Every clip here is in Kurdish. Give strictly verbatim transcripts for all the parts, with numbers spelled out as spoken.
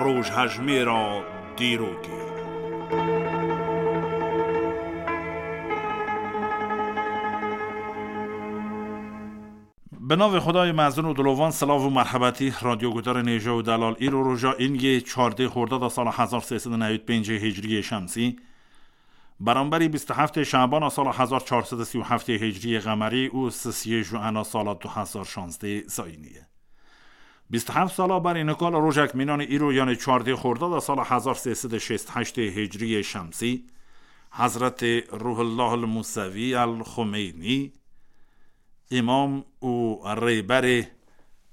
Rojhejmêra dîrokê. Bi navê Xwedayê mezin û dilovan, silav û merhebetî, radyoguhdarên hêja û delal. Îro roja îngê çardê xordada sala hezar sê sed û newî pêncê hicriyê şemsî, beramberî bîst û heftê şebana sala hezar çar sed û sî û heftê hicriyê qemerî û sisiyê juena sala du hezar şazdê zayînî ye. Bîst û heft sala berî nika li rojek mînanê îro, yanê çardê xordada sala hezar sê sed û şêst û heştê hicriyê şemsî, Hezretê Ruhullah el Musevî el Xumeynî, îmam û rêberê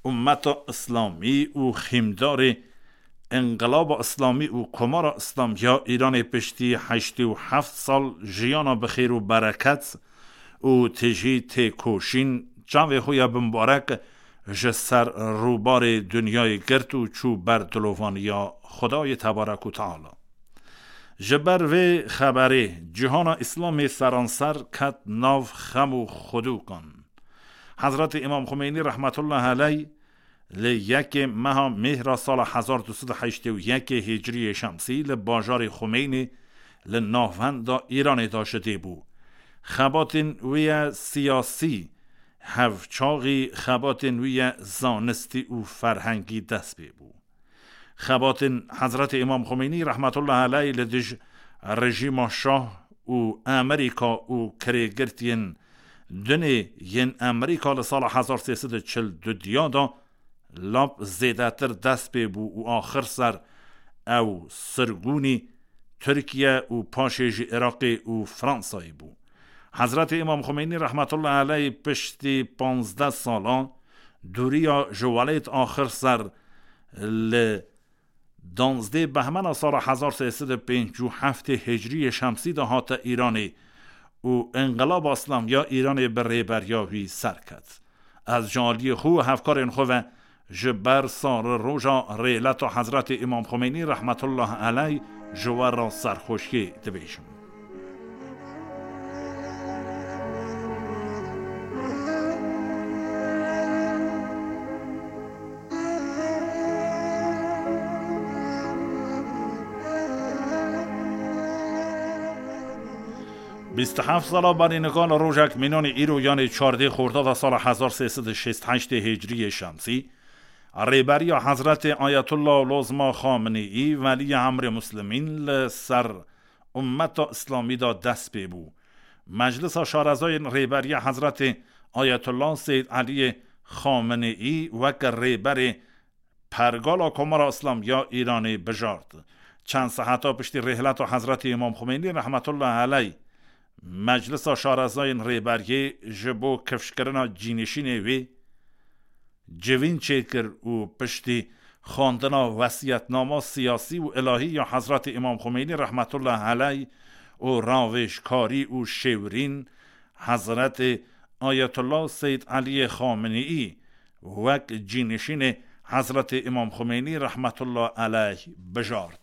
ummeta Îslamî û xîmdarê Înqilaba Îslamî û Komara Îslamî ya Îranê, piştî heştê û heft sal jiyana bi xêr û bereket û tijî têkoşîn, çavê xwe ya bimbarek ji ser rûbarê dinyayê girt û çû ber dilovaniya Xwedayê Tebarek û Teala. Ji ber vê xeberê cîhana Îslamê seranser ket nav xem û xwedûkan. Hezretê Îmam Xumeynî rehmetullah eleyh li yekê meha Mêhra sala hezar du sed û heştê û yekê hicriyê şemsî li bajarê Xumeynê li navenda Îranê de ji dê bû. Xebatên wî ye siyasî, hevçaxî xebatên wî ye zanistî û ferhengî dest pê bû. Xebatên Hezretê Îmam Xumeynî rehmetullah eleyh li dij rejîma Şah û Amerîka û kirêgirtiyên dinê yên Amerîka li sala hezar sê sed û çil û du diya de lap zêdetir dest pê bû û axir ser ew sirgûnî Tirkiye û paşê jî Iraqê û Fransayê bû. Hezretê Îmam Xumeynî rehmetullah eleyh piştî panzdeh sala dûriya ji welêt axir ser li danzdê behmena sala hezar sê sed û pêncî û heftê hicriyê şemsî de hate Îranê û Înqilaba Îslamî ya Îranê bi rêberiya wî ser ket. Ez ji aliyê xwe û hevkarên xwe ve ji ber sar roja rêleta Hezretê Îmam Xumeynî rehmetullah eleyh ji we re serxweşiyê dibêjim. Bîst û heft sala berî nika li rojek mînanê îro, yanê çardê xordada sala hezar sê sed û şêst û heştê hicriyê şemsî, rêberiya Hezretê Ayetullah Lozma Xameneî, Weliyê Emrê Muslimîn, li ser ummeta Îslamî de dest pê bû. Meclisa Şarezayên Rêberiya Hezretê Ayetullah Seyyid Eliyê Xameneî weke rêberê pergala Komara Îslamî ya Îranê bijart. Çend seheta piştî rêhleta Hezretê Îmam Xumeynî rehmetullah eleyh, Meclisa Şarezayên Rêberiyê ji bo kifşkirina cînişînê wê civîn çêkir û piştî xwendina wesiyetnama siyasî û ilahî ya Hezretê Îmam Xumeynî rehmetullah eleyh û ravêjkarî û şêwirîn Hezretê Ayetullah Seyyid Eliyê Xameneî wek cînişînê Hezretê Îmam Xumeynî rehmetullah eleyh bijart.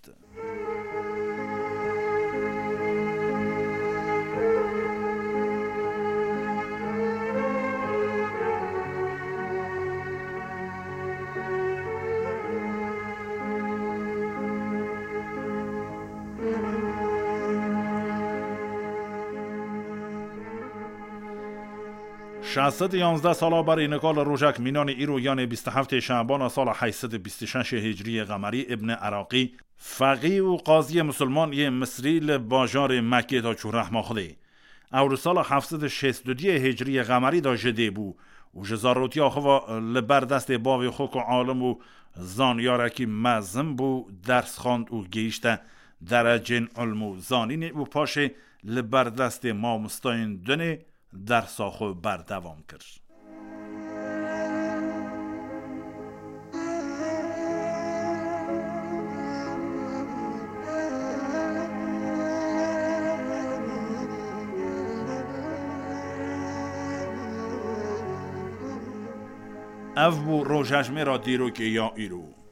Şeş sed û yanzdeh sala berî nika li rojek mînanê îro, yanê bîst û heftê şebana sala heyt sed û bîst û şeş hicriyê qemerî, Îbn Iraqî, feqî û qaziyê misilman yê Misrî, li bajarê Mekkê de çû rehma Xwedê. Ew li sala heft sed û şêst û duyê hicriyê qemerî de ji dê bû û ji zarotiya xwe ve li ber destê bavê xwe ku alim û zanyarekî mezin bû, ders xwend û gihîşte derecên ilm û zanînê û paşê li ber destê mamostayên dinê dersa xwe berdewam kir. Ev bû rojhejmêra dîrokê ya îro.